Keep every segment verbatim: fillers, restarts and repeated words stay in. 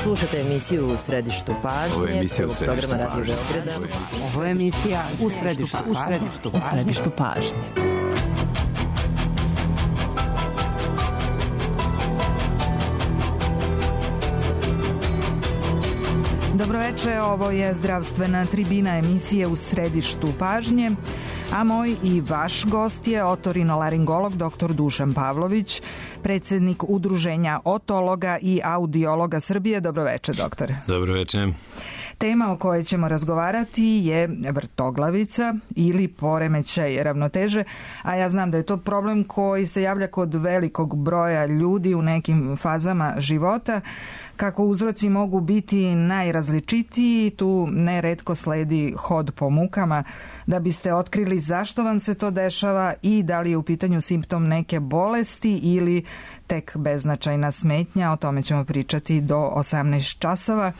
Slušate emisiju U središtu pažnje. Ovo je emisija U središtu pažnje. Ovo je emisija U središtu pažnje. U središtu pažnje. Dobroveče, ovo je zdravstvena tribina emisije U središtu pažnje, a moj i vaš gost je otorinolaringolog doktor Dušan Pavlović, predsjednik Udruženja otologa i audiologa Srbije. Dobroveče, doktore. Dobroveče. Tema o kojoj ćemo razgovarati je vrtoglavica ili poremećaj ravnoteže, a ja znam da je to problem koji se javlja kod velikog broja ljudi u nekim fazama života. Kako uzroci mogu biti najrazličitiji, tu neretko sledi hod po mukama. Da biste otkrili zašto vam se to dešava i da li je u pitanju simptom neke bolesti ili tek beznačajna smetnja, o tome ćemo pričati do osamnaest časova.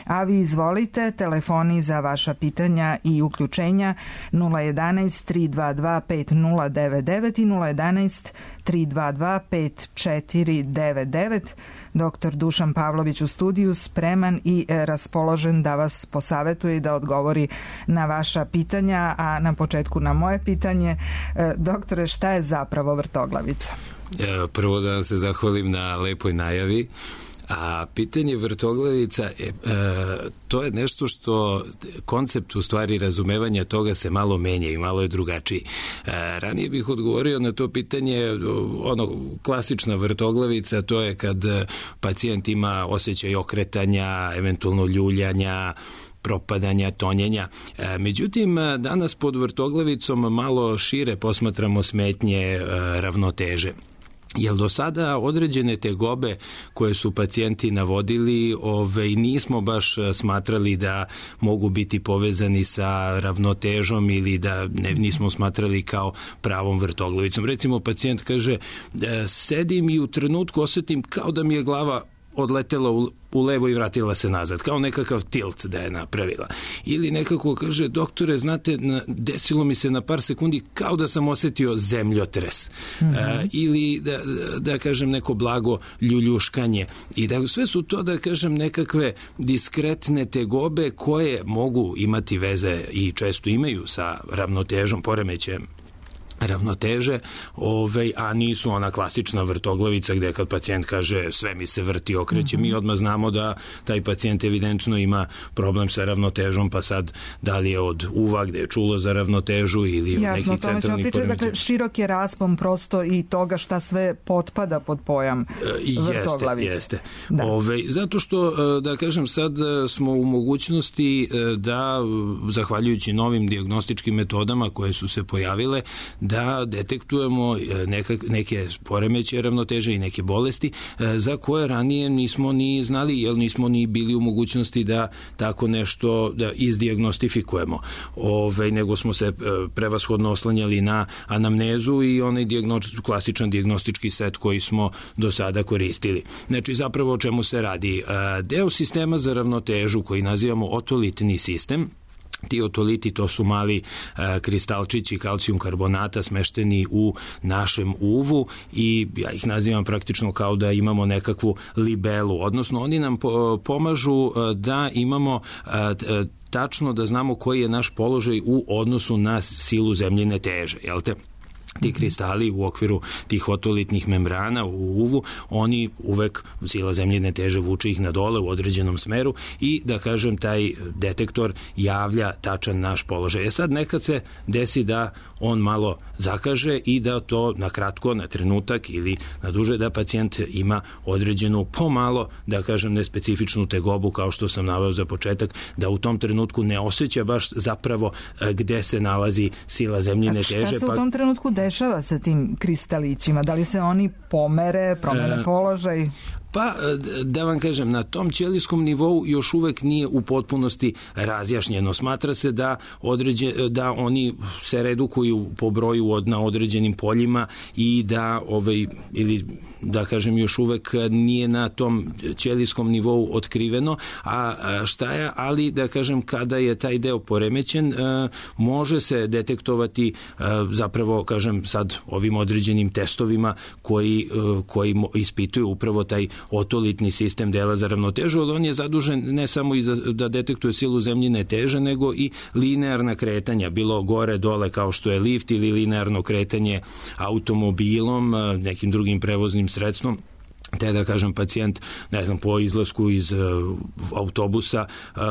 A vi izvolite, telefoni za vaša pitanja i uključenja nula jedanaest tri dva dva pet nula devet devet i nula jedanaest tri dva dva pet četiri devet devet. Doktor Dušan Pavlović u studiju, spreman i raspoložen da vas posavetuje i da odgovori na vaša pitanja, a na početku na moje pitanje. Doktore, šta je zapravo vrtoglavica? Prvo da vam se zahvalim na lepoj najavi. A pitanje vrtoglavica, e, e, to je nešto što koncept u stvari razumevanja toga se malo menja i malo je drugačiji. E, ranije bih odgovorio na to pitanje, ono, klasična vrtoglavica, to je kad pacijent ima osjećaj okretanja, eventualno ljuljanja, propadanja, tonjenja. E, međutim, danas pod vrtoglavicom malo šire posmatramo smetnje e, ravnoteže. Jer do sada određene tegobe koje su pacijenti navodili, ove, nismo baš smatrali da mogu biti povezani sa ravnotežom ili da ne, nismo smatrali kao pravom vrtoglavicom. Recimo, pacijent kaže, sedim i u trenutku osjetim kao da mi je glava odletela u, u levo i vratila se nazad, kao nekakav tilt da je napravila. Ili nekako kaže, doktore, znate, desilo mi se na par sekundi kao da sam osjetio zemljotres. Mm-hmm. A, ili da, da kažem neko blago ljuljuškanje. I da sve su to, da kažem, nekakve diskretne tegobe koje mogu imati veze i često imaju sa ravnotežom, poremećajem ravnoteže, ovaj, a nisu ona klasična vrtoglavica gde kad pacijent kaže sve mi se vrti, okreće, mm-hmm. mi odmah znamo da taj pacijent evidentno ima problem sa ravnotežom, pa sad da li je od uva gde je čulo za ravnotežu ili od nekih centralnih poremećaja. Dakle, širok je raspon prosto i toga šta sve potpada pod pojam vrtoglavice. Jeste, jeste. Ove, zato što, da kažem, sad smo u mogućnosti da, zahvaljujući novim dijagnostičkim metodama koje su se pojavile, da detektujemo neka, neke poremećaje ravnoteže i neke bolesti za koje ranije nismo ni znali, jer nismo ni bili u mogućnosti da tako nešto da izdijagnostifikujemo. Ove, nego smo se prevashodno oslanjali na anamnezu i onaj dijagnostički, klasičan dijagnostički set koji smo do sada koristili. Znači, zapravo o čemu se radi? Deo sistema za ravnotežu koji nazivamo otolitni sistem, ti otoliti, to su mali e, kristalčići kalcijum karbonata smešteni u našem uvu i ja ih nazivam praktično kao da imamo nekakvu libelu, odnosno oni nam po, pomažu e, da imamo e, tačno da znamo koji je naš položaj u odnosu na silu zemljine teže, jel te? Ti kristali u okviru tih otolitnih membrana u uvu, oni uvek, sila zemljine teže vuče ih na dole u određenom smeru i, da kažem, taj detektor javlja tačan naš položaj. E sad nekad se desi da on malo zakaže i da to na kratko, na trenutak ili na duže, da pacijent ima određenu pomalo, da kažem, nespecifičnu tegobu, kao što sam naveo za početak, da u tom trenutku ne osjeća baš zapravo gde se nalazi sila zemljine teže. A šta se u tom trenutku dešava sa tim kristalićima? Da li se oni pomere, promene položaj? Pa, da vam kažem, na tom ćelijskom nivou još uvek nije u potpunosti razjašnjeno. Smatra se da, određe, da oni se redukuju po broju od, na određenim poljima i da, ovaj, ili da kažem, još uvek nije na tom ćelijskom nivou otkriveno, a šta je, ali da kažem, kada je taj deo poremećen, može se detektovati zapravo, kažem, sad ovim određenim testovima koji, koji ispituju upravo taj otolitni sistem dela za ravnotežu, ali on je zadužen ne samo i za, da detektuje silu zemljine teže, nego i linearna kretanja, bilo gore, dole kao što je lift ili linearno kretanje automobilom, nekim drugim prevoznim sredstvom. Te da kažem pacijent, ne znam, po izlasku iz uh, autobusa uh,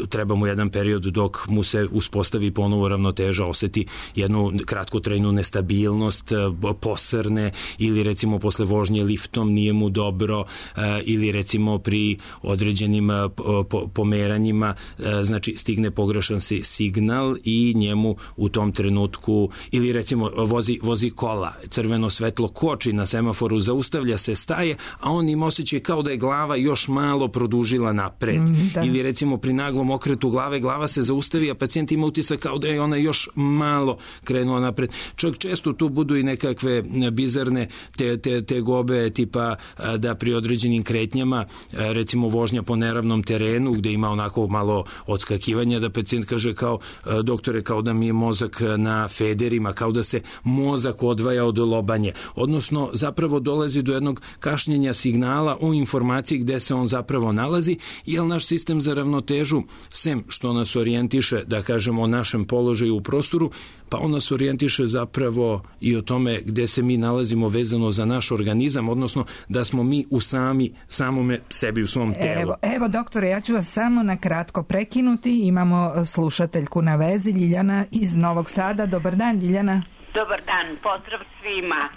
treba mu jedan period dok mu se uspostavi ponovo ravnoteža, oseti jednu kratkotrajnu nestabilnost, uh, posrne, ili recimo posle vožnje liftom nije mu dobro, uh, ili recimo pri određenim uh, po, pomeranjima uh, znači stigne pogrešan si signal i njemu u tom trenutku, ili recimo vozi, vozi kola, crveno svetlo koči na semaforu, zaustavlja se, staje, a on im osjeća kao da je glava još malo produžila napred. Mm, ili recimo pri naglom okretu glave, glava se zaustavi, a pacijent ima utisak kao da je ona još malo krenula napred. Čak često tu budu i nekakve bizarne te, te, te gobe, tipa da pri određenim kretnjama, recimo vožnja po neravnom terenu, gde ima onako malo odskakivanja, da pacijent kaže kao, doktore, kao da mi je mozak na federima, kao da se mozak odvaja od lobanje. Odnosno, zapravo dolazi do jednog kašnjenja signala o informaciji gde se on zapravo nalazi, jer naš sistem za ravnotežu, sem što nas orijentiše, da kažemo, o našem položaju u prostoru, pa on nas orijentiše zapravo i o tome gde se mi nalazimo vezano za naš organizam, odnosno da smo mi u sami, samome sebi, u svom telu. Evo, evo doktore, ja ću vas samo na kratko prekinuti. Imamo slušateljku na vezi, Ljiljana iz Novog Sada. Dobar dan, Ljiljana. Dobar dan, pozdrav svima.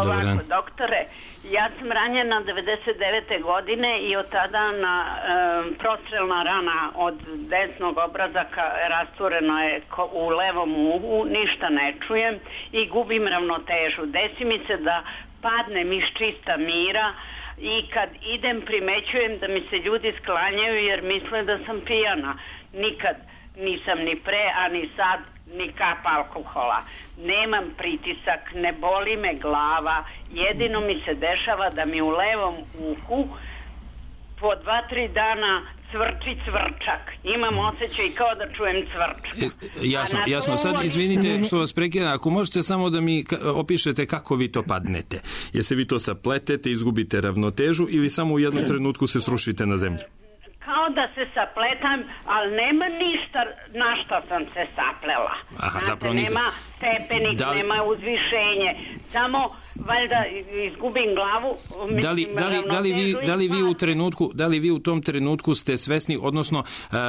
Ovako, doktore, ja sam ranjena devedeset devete godine i od tada na e, prostrelna rana od desnog obrazaka rastureno je u levom uhu, ništa ne čujem i gubim ravnotežu. Desi mi se da padnem iz čista mira i kad idem primećujem da mi se ljudi sklanjaju jer misle da sam pijana. Nikad nisam ni pre, a ni sad ni kap alkohola. Nemam pritisak, ne boli me glava, jedino mi se dešava da mi u levom uhu po dva, tri dana cvrči cvrčak. Imam osjećaj kao da čujem cvrčak. E, jasno, jasno. Sad izvinite što vas prekidam, ako možete samo da mi opišete kako vi to padnete. Jeste vi to sapletete, izgubite ravnotežu ili samo u jednom trenutku se srušite na zemlju? Kao da se sapletam, ali nema ništa na što sam se saplela. Aha, Znate, zapravo nisam. Nema stepenik, da li... nema uzvišenje. Samo, valjda, izgubim glavu. Mislim, da li, da li, da li, vi, da li vi u trenutku, da li vi u tom trenutku ste svesni, odnosno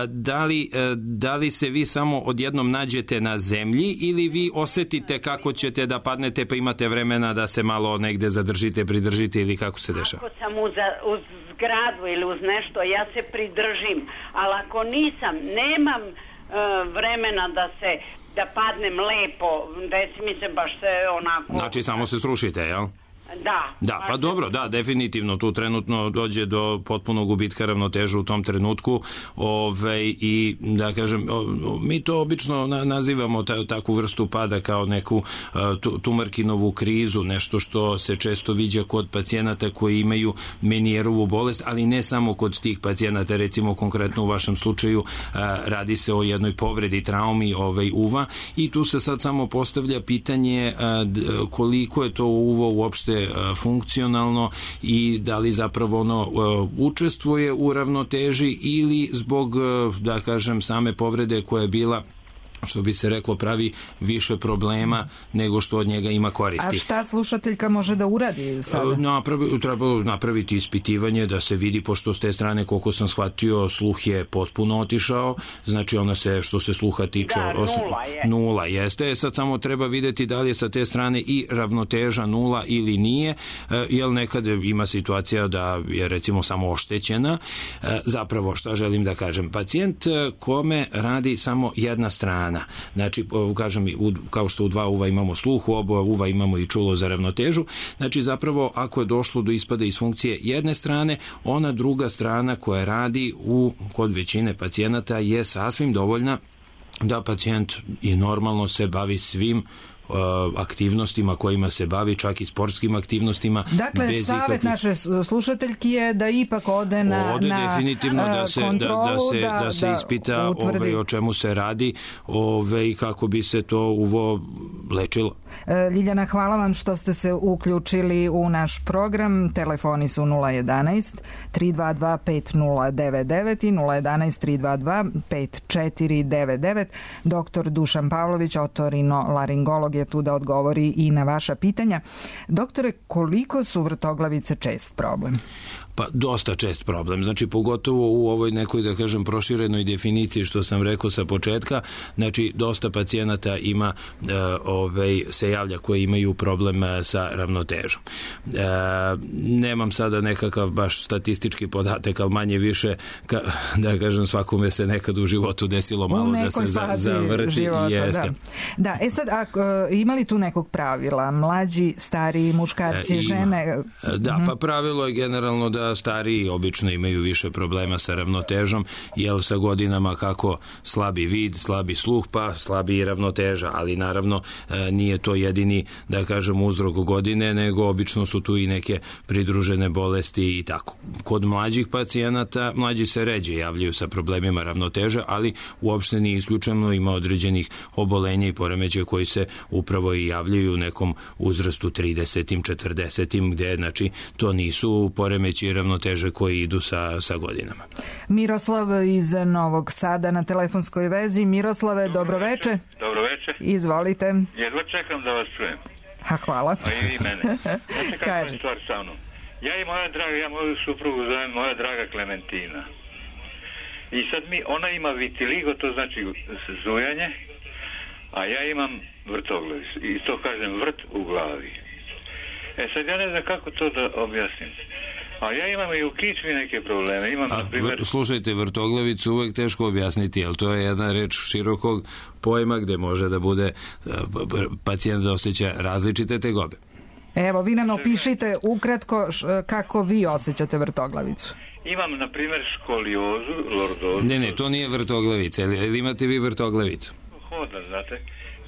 da li, da li se vi samo odjednom nađete na zemlji ili vi osetite kako ćete da padnete pa imate vremena da se malo negde zadržite, pridržite ili kako se dešava? Ako sam uz, uz zgradu ili uz nešto, ja se pridržim, ali ako nisam, nemam uh, vremena da se, da padnem lepo, desi mi se baš se onako... Znači samo se srušite, jel? Da. Da, pa dobro, da, definitivno tu trenutno dođe do potpunog gubitka ravnoteže u tom trenutku, ove, i da kažem, o, mi to obično na, nazivamo ta, takvu vrstu pada kao neku uh, Tumarkinovu krizu, nešto što se često viđa kod pacijenata koji imaju Menijerovu bolest, ali ne samo kod tih pacijenata, recimo konkretno u vašem slučaju uh, radi se o jednoj povredi, traumi ovaj, uva, i tu se sad samo postavlja pitanje uh, koliko je to uvo uopšte funkcionalno i da li zapravo ono učestvuje u ravnoteži ili zbog, da kažem, same povrede koja je bila, što bi se reklo, pravi više problema nego što od njega ima koristi. A šta slušateljka može da uradi sada? Napravi, treba napraviti ispitivanje da se vidi, pošto s te strane, koliko sam shvatio, sluh je potpuno otišao, znači ona se, što se sluha tiče... Da, nula je. Nula jeste, sad samo treba videti da li je sa te strane i ravnoteža nula ili nije, jer nekad ima situacija da je recimo samo oštećena. Zapravo, šta želim da kažem? Pacijent kome radi samo jedna strana, znači, kažem, kao što u dva uva imamo sluh, u oba uva imamo i čulo za ravnotežu, znači zapravo ako je došlo do ispada iz funkcije jedne strane, ona druga strana koja radi u, kod većine pacijenata je sasvim dovoljna da pacijent i normalno se bavi svim aktivnostima kojima se bavi, čak i sportskim aktivnostima. Dakle, bez savjet ikakvih... naše slušateljki je da ipak ode na, ode na definitivno da se, kontrolu, da, da se, da, da se da ispita ove, o čemu se radi, ove, i kako bi se to uvo lečilo. Ljiljana, hvala vam što ste se uključili u naš program. Telefoni su nula jedanaest tri dva dva pet nula devet devet i nula jedanaest tri dva dva pet četiri devet devet. Doktor Dušan Pavlović, otorinolaringolog, je tu da odgovori i na vaša pitanja. Doktore, koliko su vrtoglavice čest problem? Pa dosta čest problem, znači pogotovo u ovoj nekoj, da kažem, proširenoj definiciji što sam rekao sa početka, znači dosta pacijenata ima, e, ovaj, se javlja koji imaju problem sa ravnotežom. E, nemam sada nekakav baš statistički podatak, ali manje više, ka, da kažem, svakome se nekad u životu desilo malo da se za, zavrti. Života, jeste. Da. da, e sad, ako, ima li tu nekog pravila? Mlađi, stariji, muškarci, e, žene? Da, uh-huh. pa pravilo je generalno da stariji obično imaju više problema sa ravnotežom, jer sa godinama kako slabi vid, slabi sluh, pa slabi i ravnoteža, ali naravno nije to jedini, da kažem, uzrok godine, nego obično su tu i neke pridružene bolesti i tako. Kod mlađih pacijenata, mlađi se ređe javljaju sa problemima ravnoteže, ali uopšte nije isključeno, ima određenih obolenja i poremećaja koji se upravo i javljaju u nekom uzrastu tridesetim, četrdesetim, gde, znači, to nisu poremeći ravnoteže koji idu sa, sa godinama. Miroslav iz Novog Sada na telefonskoj vezi. Miroslave, dobroveče. Dobroveče. Izvolite. Jedva čekam da vas čujem. Ha, hvala. A i mene. Znači kako je stvar sa mnom. Ja i moja draga, ja moju suprugu zovem moja draga Klementina. I sad mi, ona ima vitiligo, to znači zujanje, a ja imam vrtoglavicu. I to kažem vrt u glavi. E sad ja ne znam kako to da objasnim. A ja imam i u kičmi neke probleme. Imam, A, na primjer... Slušajte, vrtoglavicu uvek teško objasniti, jer to je jedna reč širokog pojma gde može da bude pacijent da osjeća različite tegobe. Evo, vi nam opišite ukratko kako vi osjećate vrtoglavicu. Imam, na primjer, školiozu, lordozu. Ne, ne, to nije vrtoglavica. Ili imate vi vrtoglavicu? Hodan, znate.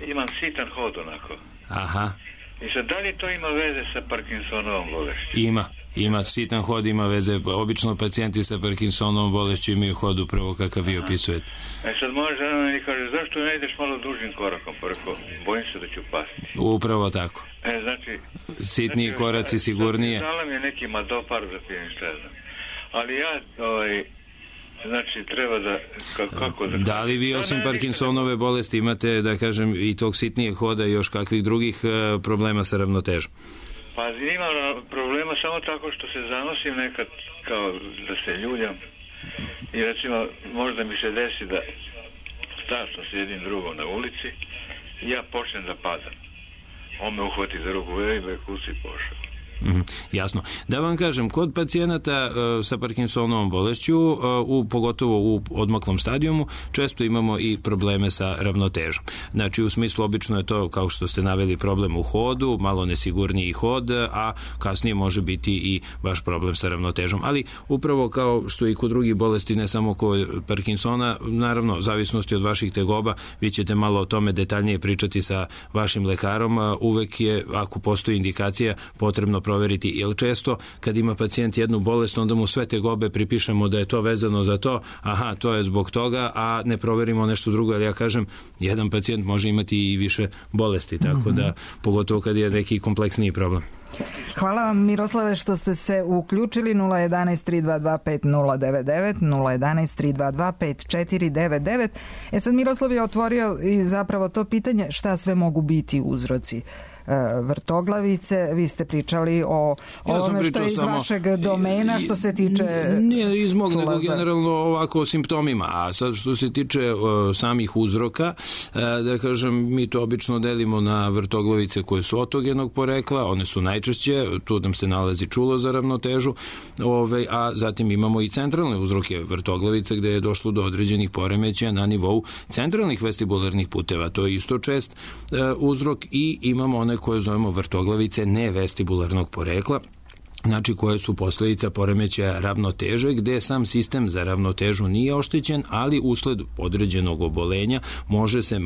Imam sitan hod onako. Aha. I sad, da li to ima veze sa Parkinsonovom bolešću? Ima. Ima, sitan hod ima veze. Obično pacijenti sa Parkinsonovom bolešću imaju hod upravo kakav vi opisujete. E sad moja žena mi kaže, zašto ne ideš malo dužim korakom? Preko, bojim se da ću pasti. Upravo tako. E, znači... Sitniji znači, koraci sigurnije. Znala mi je neki madopar da pijem, šta znam. Ali ja, ovaj... Znači, treba da... Kako da... Da li vi osim Parkinsonove bolesti imate, da kažem, i tog sitnijeg hoda i još kakvih drugih problema sa ravnotežom? Pa imam problema samo tako što se zanosim nekad kao da se ljuljam i recimo možda mi se desi da stasno s jednim drugom na ulici i ja počnem da padam. On me uhvati za ruku, veli me kuci pošao. Mm, jasno. Da vam kažem, kod pacijenata uh, sa Parkinsonovom bolešću, uh, u, pogotovo u odmaklom stadijumu, često imamo i probleme sa ravnotežom. Znači, u smislu, obično je to, kao što ste naveli, problem u hodu, malo nesigurniji hod, a kasnije može biti i baš problem sa ravnotežom. Ali upravo kao što i kod drugih bolesti, ne samo kod Parkinsona, naravno, zavisnosti od vaših tegoba, vi ćete malo o tome detaljnije pričati sa vašim lekarom. Uh, uvek je, ako postoji indikacija, potrebno proveriti, jer često kad ima pacijent jednu bolest, onda mu sve tegobe pripišemo da je to vezano za to, aha, to je zbog toga, a ne proverimo nešto drugo, ali ja kažem, jedan pacijent može imati i više bolesti, tako da, pogotovo kad je neki kompleksniji problem. Hvala vam, Miroslave, što ste se uključili. Nula jedanaest tri dva dva pet nula devet devet, nula jedanaest tri dva dva pet četiri devet devet. E sad, Miroslav je otvorio i zapravo to pitanje šta sve mogu biti uzroci vrtoglavice. Vi ste pričali o ovome što je iz samo, vašeg domena što se tiče... Nije iz mog, nego generalno ovako o simptomima. A sad što se tiče uh, samih uzroka, uh, da kažem, mi to obično delimo na vrtoglavice koje su otogenog porekla, one su najčešće, tu nam se nalazi čulo za ravnotežu, ove, a zatim imamo i centralne uzroke vrtoglavice gde je došlo do određenih poremećaja na nivou centralnih vestibularnih puteva. To je isto čest uh, uzrok i imamo one koje zovemo vrtoglavice nevestibularnog porekla, znači koje su posljedica poremećaja ravnoteže, gde sam sistem za ravnotežu nije oštećen, ali usled određenog obolenja može se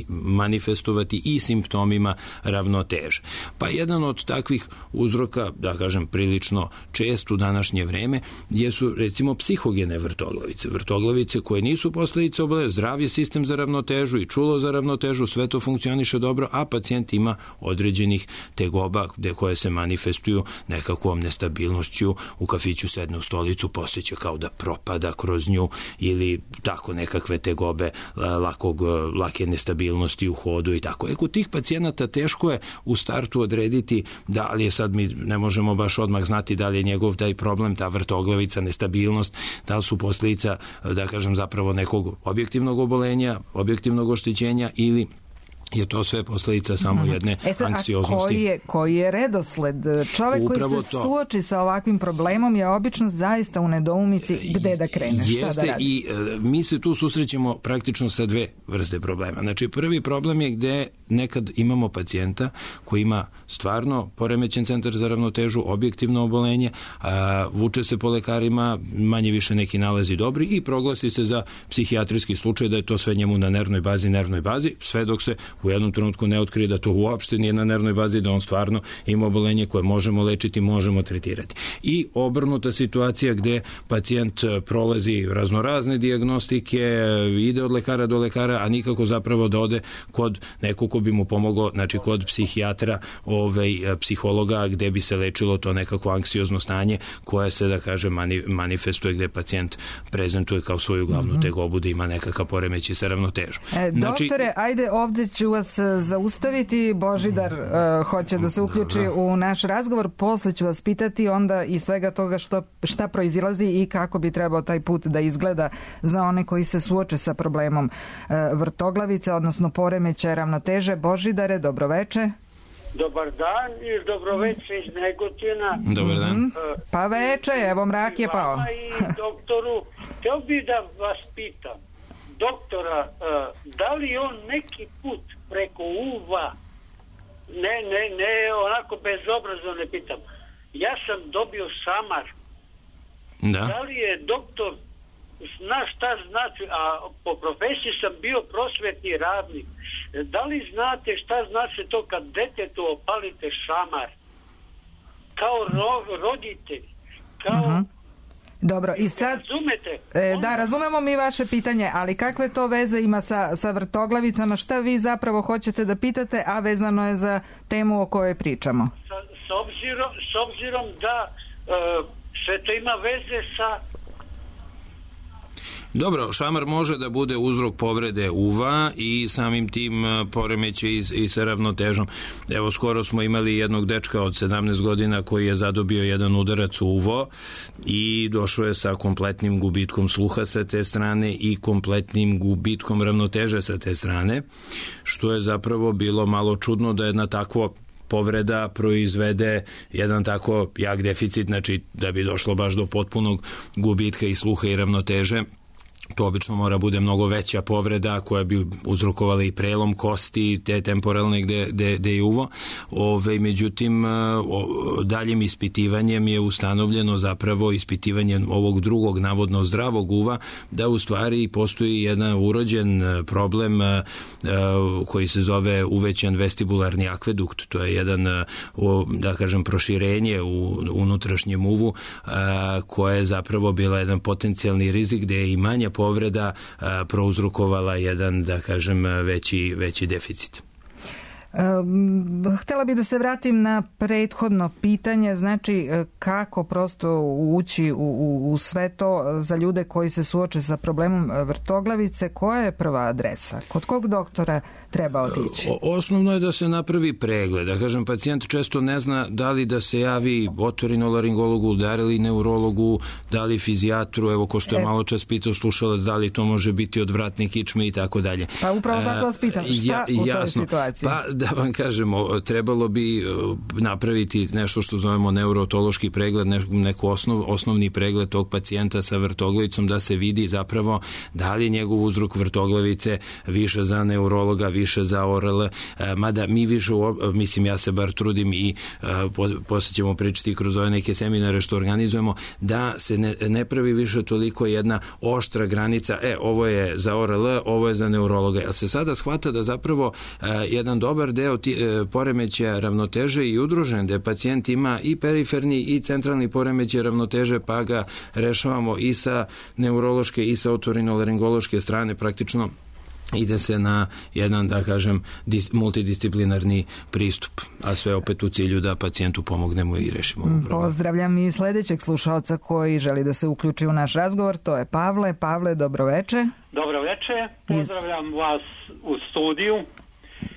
manifestovati i simptomima ravnoteže. Pa jedan od takvih uzroka, da kažem prilično čest u današnje vreme, jesu recimo psihogene vrtoglavice. Vrtoglavice koje nisu posljedice obolenja, zdrav je sistem za ravnotežu i čulo za ravnotežu, sve to funkcioniše dobro, a pacijent ima određenih tegoba gde koje se manifestuju nekako nestabilnošću, u kafiću sedne u stolicu, posjeća kao da propada kroz nju ili tako nekakve tegobe lakog, lake nestabilnosti u hodu i tako. E, kod tih pacijenata teško je u startu odrediti da li je sad, mi ne možemo baš odmah znati da li je njegov taj problem, ta vrtoglavica, nestabilnost, da li su posljedica, da kažem, zapravo nekog objektivnog obolenja, objektivnog oštećenja ili je to sve posljedica samo jedne e sad, anksioznosti. A koji je, koji je redosled? Čovjek Upravo koji se to. suoči sa ovakvim problemom je obično zaista u nedoumici gde da krene, Jeste, šta da radi. I e, mi se tu susrećemo praktično sa dve vrste problema. Znači, prvi problem je gde nekad imamo pacijenta koji ima stvarno poremećen centar za ravnotežu, objektivno obolenje, a, vuče se po lekarima, manje više neki nalazi dobri i proglasi se za psihijatrijski slučaj da je to sve njemu na nervnoj bazi, nervnoj bazi, sve dok se u jednom trenutku ne otkrije da to uopšte nije na nervnoj bazi, da on stvarno ima obolenje koje možemo lečiti, možemo tretirati. I obrnuta situacija gde pacijent prolazi raznorazne dijagnostike, ide od lekara do lekara, a nikako zapravo da ode kod nekog ko bi mu pomogao, znači kod psihijatra, ovaj, psihologa, gde bi se lečilo to nekako anksiozno stanje koje se, da kaže, mani, manifestuje, gde pacijent prezentuje kao svoju glavnu mm-hmm. tegobu da ima nekakav poremećaj sa ravnotežom. E, znači, doktore, ajde ovde ću vas zaustaviti. Božidar uh, hoće da se uključi Dobro. u naš razgovor. Posle ću vas pitati onda i svega toga što, šta proizilazi i kako bi trebao taj put da izgleda za one koji se suoče sa problemom uh, vrtoglavice, odnosno poremećaja ravnoteže. Božidare, dobroveče. Dobar dan i dobroveče iz Negotina. Dobar dan. Uh, pa veče, evo mrak je pao. I doktoru, htio bih da vas pitam, doktora, uh, da li on neki put preko uva, ne, ne, ne, onako bezobrazno ne pitam, ja sam dobio šamar. Da. Da li je doktor zna šta znači, a po profesiji sam bio prosvetni radnik, da li znate šta znači to kad detetu opalite šamar? Kao ro, roditelj, kao... Uh-huh. Dobro, i sad... Razumete? E, da, razumemo mi vaše pitanje, ali kakve to veze ima sa, sa vrtoglavicama? Šta vi zapravo hoćete da pitate, a vezano je za temu o kojoj pričamo? Sa, s, obzirom, s obzirom da uh, sve to ima veze sa... Dobro, šamar može da bude uzrok povrede uva i samim tim poremeće i, i sa ravnotežom. Evo, skoro smo imali jednog dečka od sedamnaest godina koji je zadobio jedan udarac u uvo i došao je sa kompletnim gubitkom sluha sa te strane i kompletnim gubitkom ravnoteže sa te strane, što je zapravo bilo malo čudno da jedna takvo povreda proizvede jedan tako jak deficit, znači da bi došlo baš do potpunog gubitka i sluha i ravnoteže. To obično mora bude mnogo veća povreda koja bi uzrokovala i prelom kosti te temporalne gde, gde, gde je uvo. Ove, međutim, o, daljim ispitivanjem je ustanovljeno zapravo ispitivanjem ovog drugog navodno zdravog uva da u stvari postoji jedan urođen problem a, a, koji se zove uvećan vestibularni akvedukt. To je jedan, a, o, da kažem, proširenje u unutrašnjem uvu a, koje je zapravo bila jedan potencijalni rizik gde je i manja povreda a, prouzrokovala jedan, da kažem, veći, veći deficit. Um, htjela bih da se vratim na prethodno pitanje, znači kako prosto ući u, u, u sve to za ljude koji se suoče sa problemom vrtoglavice. Koja je prva adresa? Kod kog doktora treba otići? O, osnovno je da se napravi pregled. Da kažem, pacijent često ne zna da li da se javi otorinolaringologu, da li neurologu, da li fizijatru, evo ko što je e, malo čas pitao slušalac, da li to može biti odvratne kičme i tako dalje. Pa upravo zato vas pitam, šta ja, u toj jasno. situaciji? Pa da vam kažemo, trebalo bi napraviti nešto što zovemo neurotološki pregled, neku osnov, osnovni pregled tog pacijenta sa vrtoglavicom, da se vidi zapravo da li je njegov uzrok vrtoglavice više za neurologa, više za O R L, mada mi više, mislim, ja se bar trudim i posle ćemo pričati kroz ove neke seminare što organizujemo, da se ne, ne pravi više toliko jedna oštra granica, e, ovo je za O R L, ovo je za neurologa, jer se sada shvata da zapravo jedan dobar deo ti, poremećaja ravnoteže i udružen, da pacijent ima i periferni i centralni poremećaj ravnoteže, pa ga rešavamo i sa neurološke i sa otorinolaringološke strane, praktično ide se na jedan, da kažem, multidisciplinarni pristup, a sve opet u cilju da pacijentu pomognemo i rešimo problem. Pozdravljam i sledećeg slušalca koji želi da se uključi u naš razgovor, to je Pavle. Pavle, dobroveče. Dobroveče, pozdravljam vas u studiju.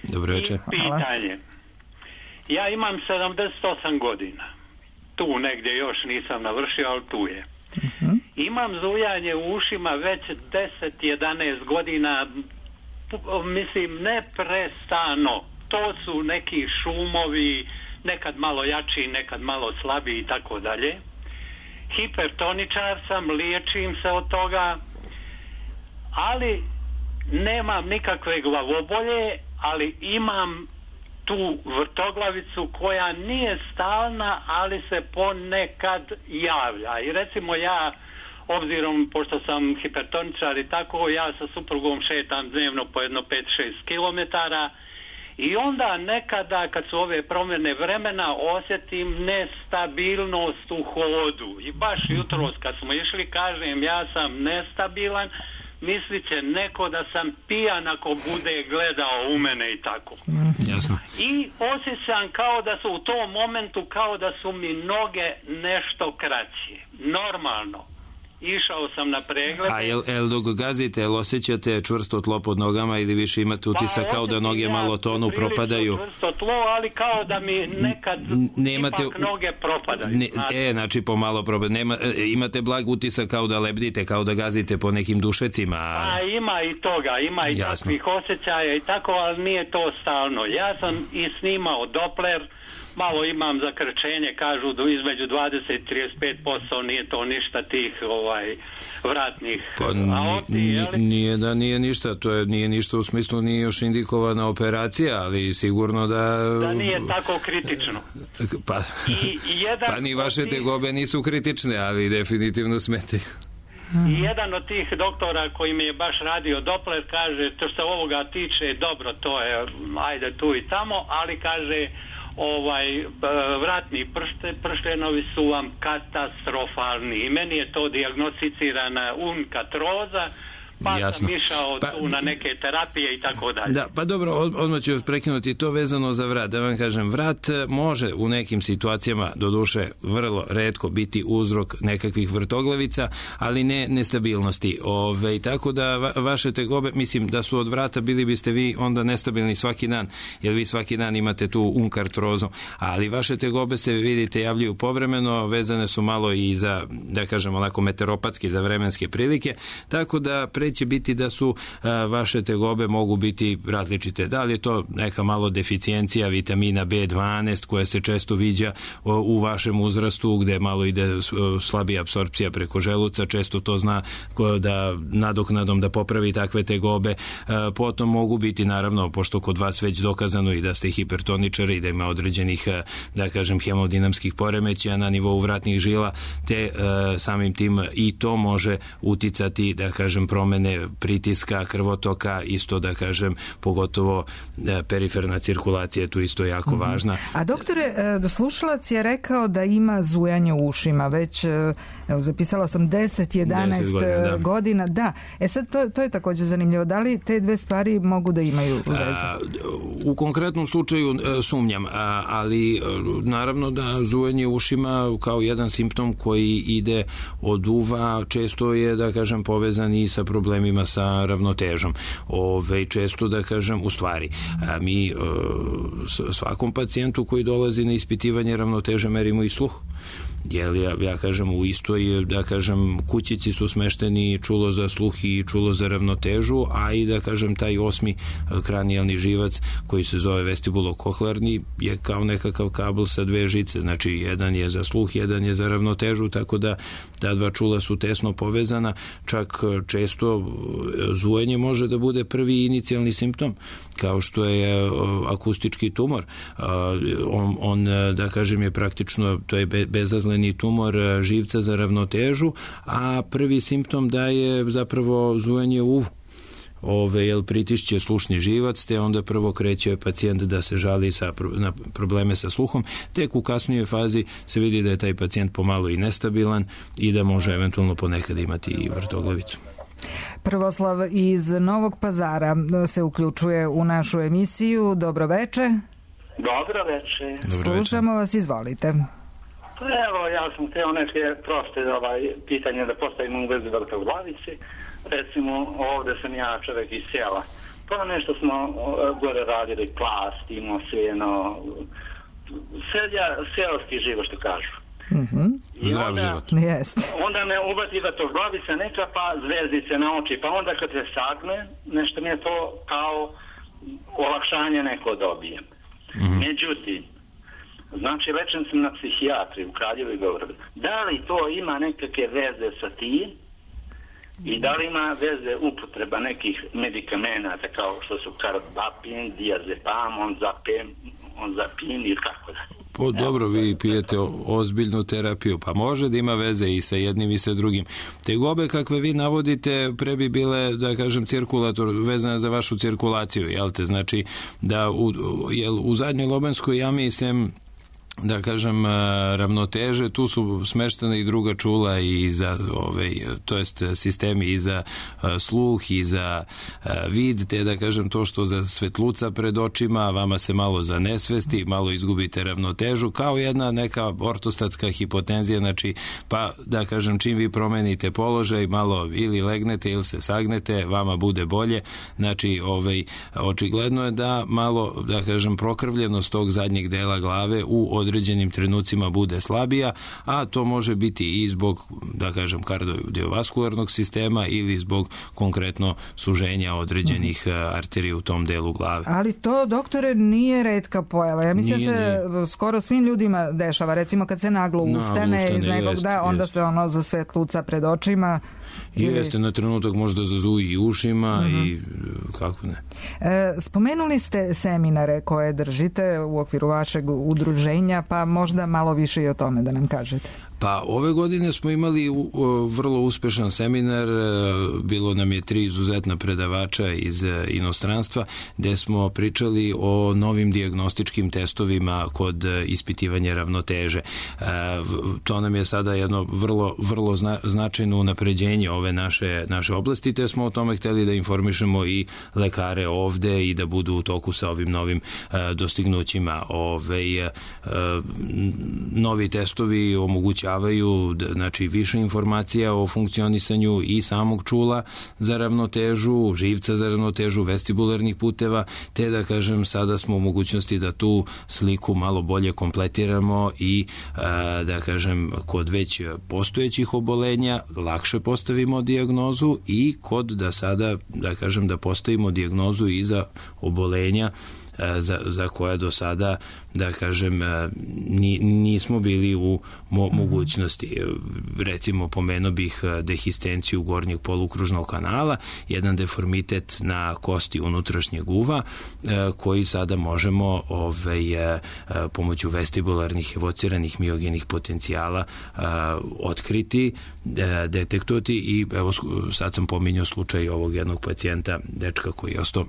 Dobroveče. I pitanje. Ja imam sedamdeset osam godina. Tu negdje još nisam navršio, ali tu je. Uh-huh. Imam zujanje u ušima već deset jedanaest godina, mislim neprestano. To su neki šumovi, nekad malo jači, nekad malo slabiji i tako dalje. Hipertoničar sam, liječim se od toga, ali nemam nikakve glavobolje, ali imam tu vrtoglavicu koja nije stalna, ali se ponekad javlja. I recimo ja, obzirom, pošto sam hipertoničar i tako, ja sa suprugom šetam dnevno po jedno pet šest kilometara i onda nekada kad su ove promjene vremena osjetim nestabilnost u hodu. I baš jutros kad smo išli, kažem, ja sam nestabilan, mislit će neko da sam pijan ako bude gledao u mene i tako. Jasno. I osjećam kao da su u tom momentu, kao da su mi noge nešto kraće. Normalno. Išao sam na pregled. A jel, jel dok gazite, jel osjećate čvrsto tlo pod nogama ili više imate utisak pa, kao da noge ja malo tonu, propadaju? Čvrsto tlo, ali kao da mi nekad Nemate, ipak noge propadaju. Ne, e, znači pomalo propadaju. Nema, imate blag utisak kao da lebdite, kao da gazite po nekim dušecima. A ima i toga, ima i Jasno. takvih osjećaja i tako, ali nije to stalno. Ja sam i snimao Doppler, malo imam zakrčenje, kažu do između dvadeset do trideset pet posto, nije to ništa tih ovaj vratnih pa, aorti, nije, nije da nije ništa, to je nije ništa u smislu nije još indikovana operacija, ali sigurno da da nije tako kritično. Pa, I jedan pa ni vaše tih... tegobe nisu kritične, ali definitivno smete. I jedan od tih doktora koji mi je baš radio Doppler kaže, to što ovoga tiče, dobro, to je ajde tu i tamo, ali kaže ovaj vratni pršte, prštenovi su vam katastrofalni i meni je to dijagnosticirana unkatroza, pa Jasno. sam išao pa, tu na neke terapije i tako dalje. Da, pa dobro, od, odmah ću prekinuti to vezano za vrat. Da vam kažem, vrat može u nekim situacijama, doduše vrlo retko, biti uzrok nekakvih vrtoglavica, ali ne nestabilnosti. Ove, tako da va, vaše tegobe, mislim da su od vrata, bili biste vi onda nestabilni svaki dan, jer vi svaki dan imate tu unkartrozu, ali vaše tegobe se, vidite, javljaju povremeno, vezane su malo i za, da kažem, onako meteoropatski, za vremenske prilike, tako da pre će biti da su a, vaše tegobe mogu biti različite. Da li je to neka malo deficijencija vitamina be dvanaest koja se često viđa o, u vašem uzrastu, gde malo ide slabija apsorpcija preko želuca, često to zna ko, da nadoknadom da popravi takve tegobe. A, potom mogu biti, naravno, pošto kod vas već dokazano i da ste hipertoničari i da ima određenih, a, da kažem, hemodinamskih poremećaja na nivou vratnih žila, te a, samim tim i to može uticati, da kažem, promene pritiska, krvotoka, isto da kažem, pogotovo e, periferna cirkulacija, tu isto jako mm-hmm. važna. A doktore, e, slušalac je rekao da ima zujanje u ušima, već e, evo, zapisala sam deset jedanaest godina, da. godina, da. E sad, to, to je također zanimljivo. Da li te dve stvari mogu da imaju veze? A, u konkretnom slučaju e, sumnjam, a, ali e, naravno da zujanje u ušima kao jedan simptom koji ide od uva, često je, da kažem, povezan i sa problemom problemima sa ravnotežom. Ove, često da kažem, u stvari, a mi svakom pacijentu koji dolazi na ispitivanje ravnoteže merimo i sluh. Jer ja, ja kažem, u istoj, da kažem, kućici su smešteni čulo za sluh i čulo za ravnotežu, a i da kažem taj osmi kranijalni živac koji se zove vestibulo-kohlearni je kao nekakav kabel sa dve žice, znači jedan je za sluh, jedan je za ravnotežu, tako da ta dva čula su tesno povezana, čak često zujanje može da bude prvi inicijalni simptom, kao što je akustički tumor. On, on da kažem, je praktično, to je bezazleni tumor živca za ravnotežu, a prvi simptom da je zapravo zujanje u ove, jel, pritišće slušni živac, te onda prvo kreće pacijent da se žali sa, na probleme sa sluhom, tek u kasnijoj fazi se vidi da je taj pacijent pomalo i nestabilan i da može eventualno ponekad imati i vrtoglavicu. Prvoslav iz Novog Pazara se uključuje u našu emisiju. Dobro veče. Dobro veče. Slušamo vas, izvolite. Pa evo, ja sam htio neke proste ovaj, pitanje da postavim u vezi vrtoglavici. Recimo, ovde sam ja čovjek iz sela. Pa nešto smo gore radili, plast, imao seno, selja, seoski život, što kažu. Mm-hmm. Zdrav onda, život. Jeste. Onda me ubati vrtoglavica neka, pa zvezdice na oči, pa onda kad se sagne, nešto mi je to kao olakšanje neko dobijem. Mm-hmm. Međutim, znači, lečen sam na psihijatri u Kraljevu i Beogradu. Da li to ima nekakve veze sa tim i da li ima veze upotreba nekih medikamenata kao što su karbapin, diazepam, onzapin, onzapin ili kako da? Po, dobro, vi pijete ozbiljnu terapiju, pa može da ima veze i sa jednim i sa drugim. Tegobe kakve vi navodite pre bi bile, da kažem, cirkulator, vezane za vašu cirkulaciju, jel te? Znači, da u, jel, u zadnjoj lobanskoj jami sem, da kažem, ravnoteže, tu su smeštena i druga čula i za, ove, to jest sistemi i za sluh i za vid, te da kažem to što za svetluca pred očima, vama se malo zanesvesti, malo izgubite ravnotežu, kao jedna neka ortostatska hipotenzija, znači, pa da kažem, čim vi promenite položaj, malo ili legnete ili se sagnete, vama bude bolje, znači, ove, očigledno je da malo, da kažem, prokrvljenost tog zadnjeg dela glave u određenim trenucima bude slabija, a to može biti i zbog, da kažem, kardiovaskularnog sistema ili zbog konkretno suženja određenih mm-hmm. arterija u tom delu glave. Ali to, doktore, nije retka pojava. Ja mislim nije, se nije. Skoro svim ljudima dešava. Recimo kad se naglo ustane, ustane iz nekog, jest, da, onda jest. se ono za svetluca pred očima. Ili... Jeste, na trenutak možda zazuji i ušima mm-hmm. i kako ne. E, spomenuli ste seminare koje držite u okviru vašeg udruženja, pa možda malo više i o tome da nam kažete. Pa ove godine smo imali vrlo uspešan seminar, bilo nam je tri izuzetna predavača iz inostranstva, gde smo pričali o novim dijagnostičkim testovima kod ispitivanja ravnoteže. To nam je sada jedno vrlo, vrlo značajno unapređenje ove naše, naše oblasti, te smo o tome hteli da informišemo i lekare ovde i da budu u toku sa ovim novim dostignućima. Ove, novi testovi omogućavaju znači više informacija o funkcionisanju i samog čula za ravnotežu, živca za ravnotežu, vestibularnih puteva, te da kažem sada smo u mogućnosti da tu sliku malo bolje kompletiramo i da kažem kod već postojećih obolenja lakše postavimo dijagnozu i kod da sada da kažem da postavimo dijagnozu i za obolenja Za, za koja do sada, da kažem, ni, nismo bili u mo, mogućnosti. Recimo, pomenuo bih dehistenciju gornjeg polukružnog kanala, jedan deformitet na kosti unutrašnjeg uva, koji sada možemo ovaj, pomoću vestibularnih evociranih miogenih potencijala otkriti, detektovati i evo sad sam pominjao slučaj ovog jednog pacijenta, dečka koji je ostao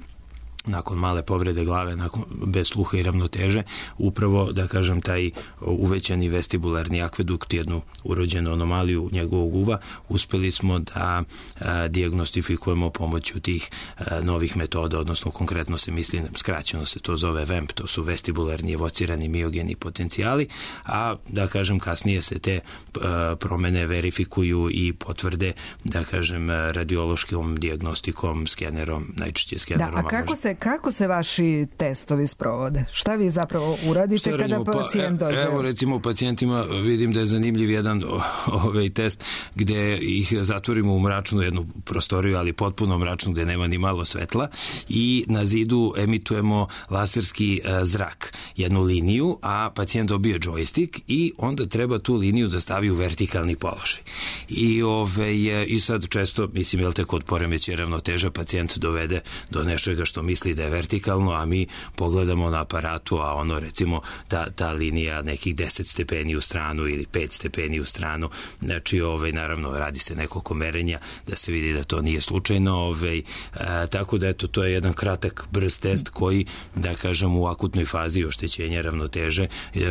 nakon male povrede glave, nakon, bez sluha i ravnoteže, upravo, da kažem, taj uvećani vestibularni akvedukt, jednu urođenu anomaliju njegovog uva, uspeli smo da a, dijagnostifikujemo pomoću tih a, novih metoda, odnosno konkretno se misli, skraćeno se to zove V E M P, to su vestibularni evocirani miogeni potencijali, a da kažem kasnije se te a, promene verifikuju i potvrde, da kažem, radiološkom dijagnostikom, skenerom, najčešće skenerom. Da, a kako se, kako se vaši testovi sprovode? Šta vi zapravo uradite kada pacijent dođe? Evo, recimo, u pacijentima vidim da je zanimljiv jedan ovaj test gde ih zatvorimo u mračnu jednu prostoriju, ali potpuno mračnu, gde nema ni malo svetla, i na zidu emitujemo laserski zrak, jednu liniju, a pacijent dobije džojstik i onda treba tu liniju da stavi u vertikalni položaj. I, ove, i sad često, mislim, jel te kod poremećaja ravnoteže pacijent dovede do nečega što misli da je vertikalno, a mi pogledamo na aparatu, a ono, recimo, ta, ta linija nekih deset stepeni u stranu ili pet stepeni u stranu, znači, ovaj, naravno, radi se nekoliko merenja da se vidi da to nije slučajno, ovaj, a, tako da, eto, to je jedan kratak, brz test koji, da kažem, u akutnoj fazi oštećenja ravnoteže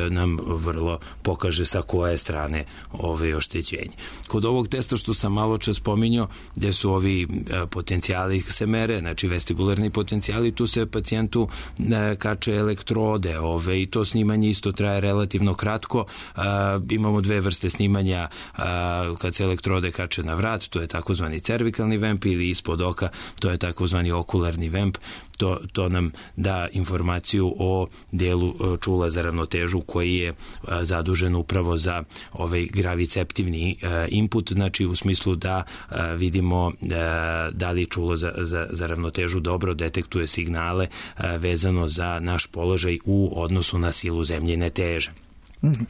nam vrlo pokaže sa koje strane ove oštećenje. Kod ovog testa što sam malo čas spominjao, gde su ovi potencijali se mere, znači vestibularni potencijali, tu se pacijentu kače elektrode, ove, i to snimanje isto traje relativno kratko. A, imamo dve vrste snimanja, a, kad se elektrode kače na vrat, to je takozvani cervikalni V E M P, ili ispod oka, to je takozvani okularni V E M P. To, to nam da informaciju o delu čula za ravnotežu koji je a, zadužen upravo za ovaj graviceptivni a, input, znači u smislu da a, vidimo a, da li čulo za, za, za ravnotežu dobro detektuje signale a, vezano za naš položaj u odnosu na silu zemljine teže.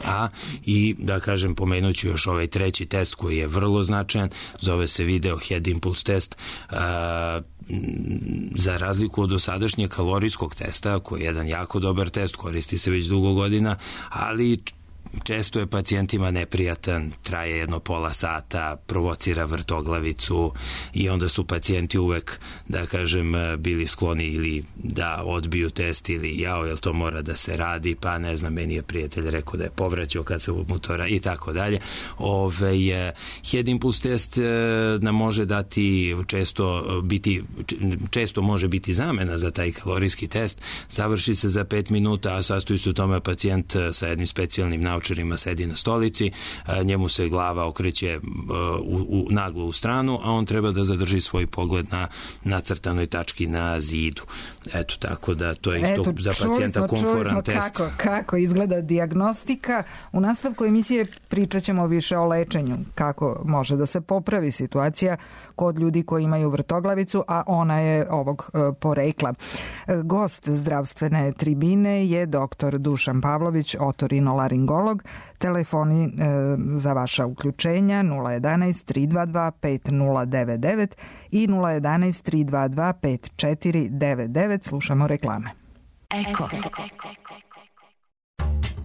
A i da kažem, pomenuću još ovaj treći test koji je vrlo značajan, zove se video head impulse test. A, za razliku od dosadašnjeg kalorijskog testa, koji je jedan jako dobar test, koristi se već dugo godina, ali često je pacijentima neprijatan, traje jedno pola sata, provocira vrtoglavicu i onda su pacijenti uvek, da kažem, bili skloni ili da odbiju test ili jao, jel to mora da se radi, pa ne znam, meni je prijatelj rekao da je povraćao kad se motora i tako dalje. Ove, head impulse test nam može dati često biti, često može biti zamena za taj kalorijski test, završi se za pet minuta, a sastoji se u tome pacijent sa jednim specijalnim naučarima sedi na stolici, njemu se glava okreće u, u, naglo u stranu, a on treba da zadrži svoj pogled na nacrtanoj tački na zidu. Eto, tako da to je isto Eto, za pacijenta komforan test. Kako, kako izgleda dijagnostika. U nastavku emisije pričat ćemo više o lečenju, kako može da se popravi situacija kod ljudi koji imaju vrtoglavicu, a ona je ovog e, porekla. E, gost zdravstvene tribine je doktor Dušan Pavlović, otorinolaringolog. Telefoni e, za vaša uključenja nula jedanaest tri dva dva pet nula devet devet i nula jedanaest tri dva dva pet četiri devet devet. Slušamo reklame. Eko.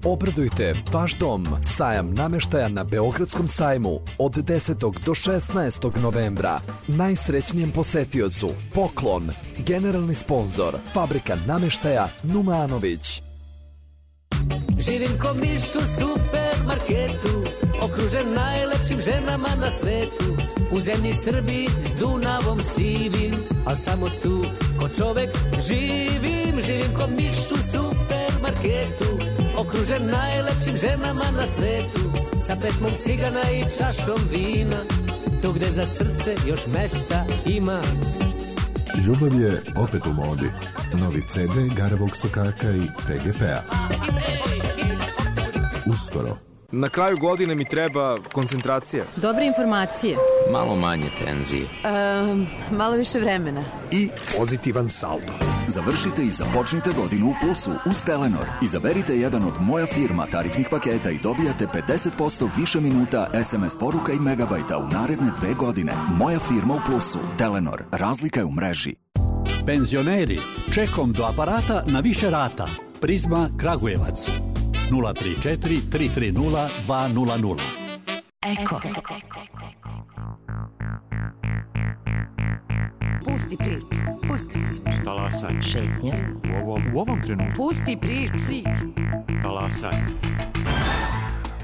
Obradujte vaš dom. Sajam nameštaja na Beogradskom sajmu od desetog do šesnaestog novembra. Najsrećnijem posetiocu poklon. Generalni sponzor Fabrika nameštaja Numanović. Živim ko miš u supermarketu, okružen najlepšim ženama na svetu. U zemlji Srbiji s Dunavom sivim, al samo tu ko čovek živim. Živim ko miš u supermarketu, okružen najlepšim ženama na svetu. Sa pesmom cigana i čašom vina, tu gde za srce još mesta ima. Ljubav je opet u modi. Novi ce de Garavog sokaka i te ge pe-a. Uskoro. Na kraju godine mi treba koncentracija. Dobre informacije. Malo manje tenzije. Um, malo više vremena. I pozitivan saldo. Završite i započnite godinu u plusu uz Telenor. Izaberite jedan od Moja firma tarifnih paketa i dobijate pedeset posto više minuta es em es poruka i megabajta u naredne dve godine. Moja firma u plusu. Telenor. Razlika je u mreži. Penzioneri, čekom do aparata na više rata. Prizma Kragujevac. nula tri četiri tri tri nula dva nula nula. Eko. Pusti priču. Pusti priču. Talas. Talasanje. Šetnja. U ovom, u ovom trenutku. Pusti priču. Talasanje.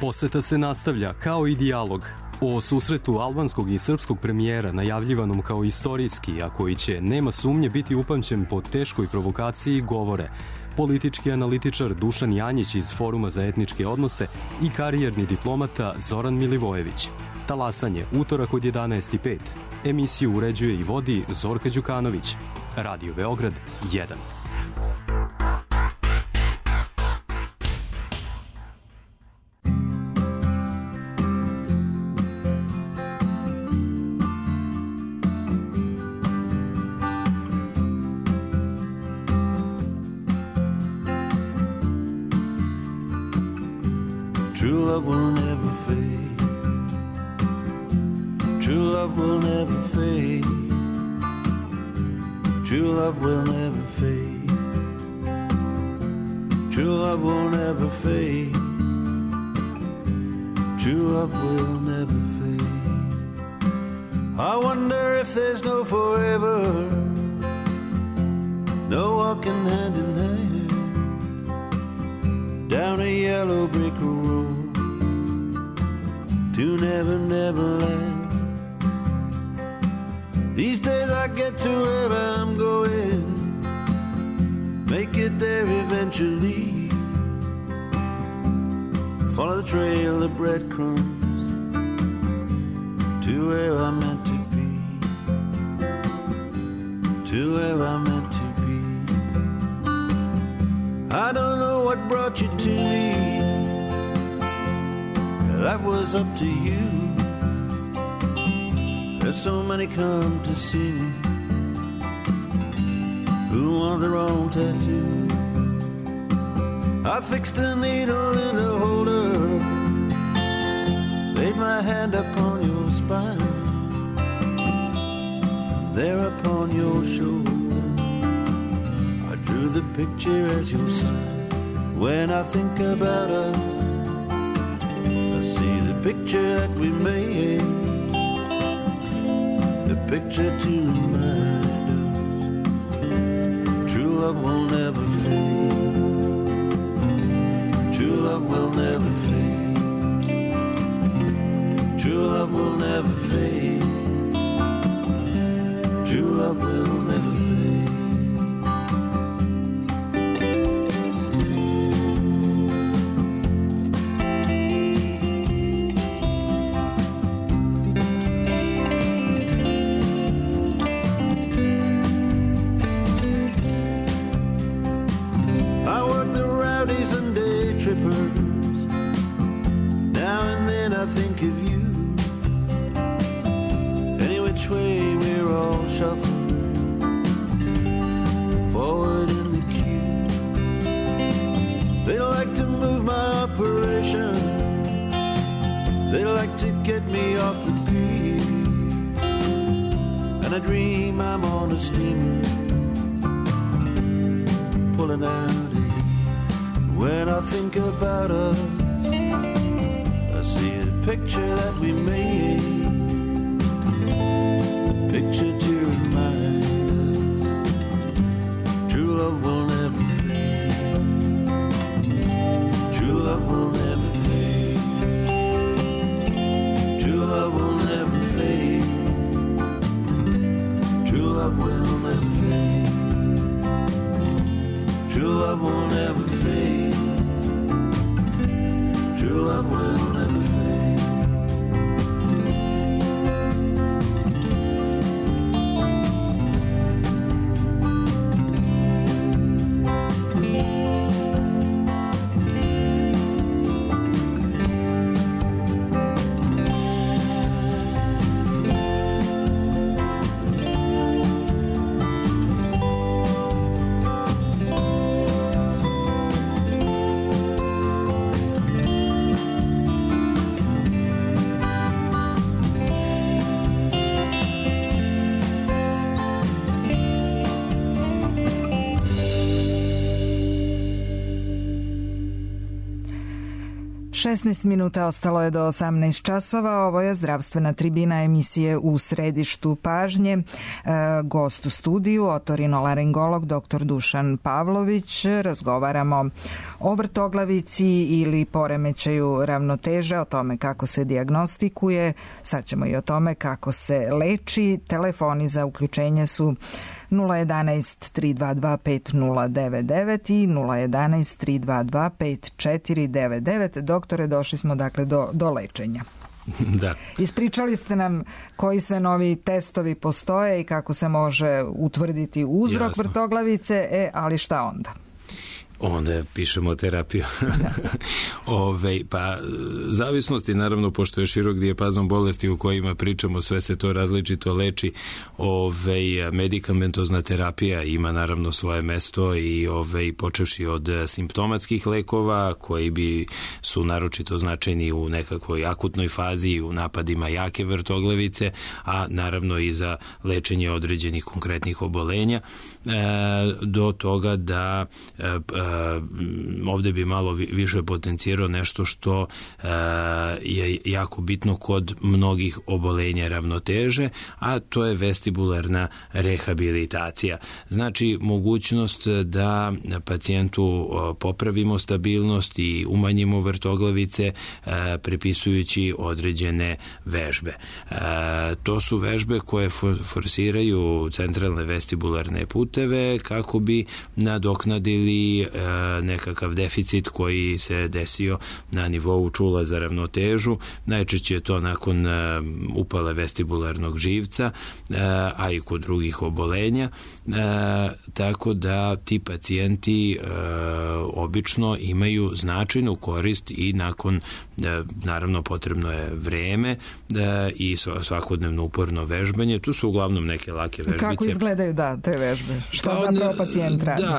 Poseta se nastavlja kao i dijalog. O susretu albanskog i srpskog premijera, najavljivanom kao istorijski, a koji će, nema sumnje, biti upamćen po teškoj provokaciji, govore politički analitičar Dušan Janjić iz Foruma za etničke odnose i karijerni diplomata Zoran Milivojević. Talasanje, utorak od jedanaest i pet. Emisiju uređuje i vodi Zorka Đukanović. Radio Beograd jedan. True love will never fade. True love will never fade. True love will never fade. True love will never fade. True love will never fade. I wonder if there's no forever, no walking hand in hand down a yellow brick road to Never Never Land. These days I get to where I'm going, make it there eventually, follow the trail of breadcrumbs to where I'm meant to be, to where I'm meant to be. I don't know what brought you to me, that was up to you. There's so many come to see me who want their own tattoo. I fixed a needle in a holder, laid my hand upon your spine, there upon your shoulder I drew the picture as your sign. When I think about us, I see the picture that we made, the picture to remind us true love will never fade. True love will never fade. True love will never fade. True love will never fade. Now and then I think of you. Any which way we're all shuffling forward in the queue. They like to move my operation, they like to get me off the beat, and I dream I'm on a steamer pulling out. When I think about us, I see the picture that we made, the picture to remind us true love will never fade. True love will never fade. True love will never fade. True love will never fade. True love will never fade. True love will never fade. šesnaest minuta ostalo je do osamnaest časova. Ovo je zdravstvena tribina emisije U središtu pažnje. E, gost u studiju, otorinolaringolog dr. Dušan Pavlović. Razgovaramo o vrtoglavici ili poremećaju ravnoteže, o tome kako se dijagnostikuje. Sad ćemo i o tome kako se leči. Telefoni za uključenje su nula jedanaest tri dva dva pet nula devet devet i nula jedanaest tri dva dva pet četiri devet devet. Doktore, došli smo dakle do, do lečenja. Da. Ispričali ste nam koji sve novi testovi postoje i kako se može utvrditi uzrok Jasno. vrtoglavice, e, ali šta onda? Onda pišemo terapiju. Ove, pa, zavisnosti, naravno, pošto je širok dijapazon bolesti u kojima pričamo, sve se to različito leči. Ove, medikamentozna terapija ima naravno svoje mesto i ove, počevši od simptomatskih lekova koji bi su naročito značajni u nekakvoj akutnoj fazi, u napadima jake vrtoglavice, a naravno i za lečenje određenih konkretnih obolenja, e, do toga da e, ovde bi malo više potencirao nešto što je jako bitno kod mnogih obolenja ravnoteže, a to je vestibularna rehabilitacija. Znači, mogućnost da pacijentu popravimo stabilnost i umanjimo vrtoglavice prepisujući određene vežbe. To su vežbe koje forsiraju centralne vestibularne puteve kako bi nadoknadili nekakav deficit koji se desio na nivou čula za ravnotežu. Najčešće je to nakon upale vestibularnog živca, a i kod drugih obolenja, tako da ti pacijenti obično imaju značajnu korist i nakon, naravno potrebno je vreme i svakodnevno uporno vežbanje. Tu su uglavnom neke lake vežbice. Kako izgledaju da te vežbe? Šta pa zapravo pacijent radi? Da,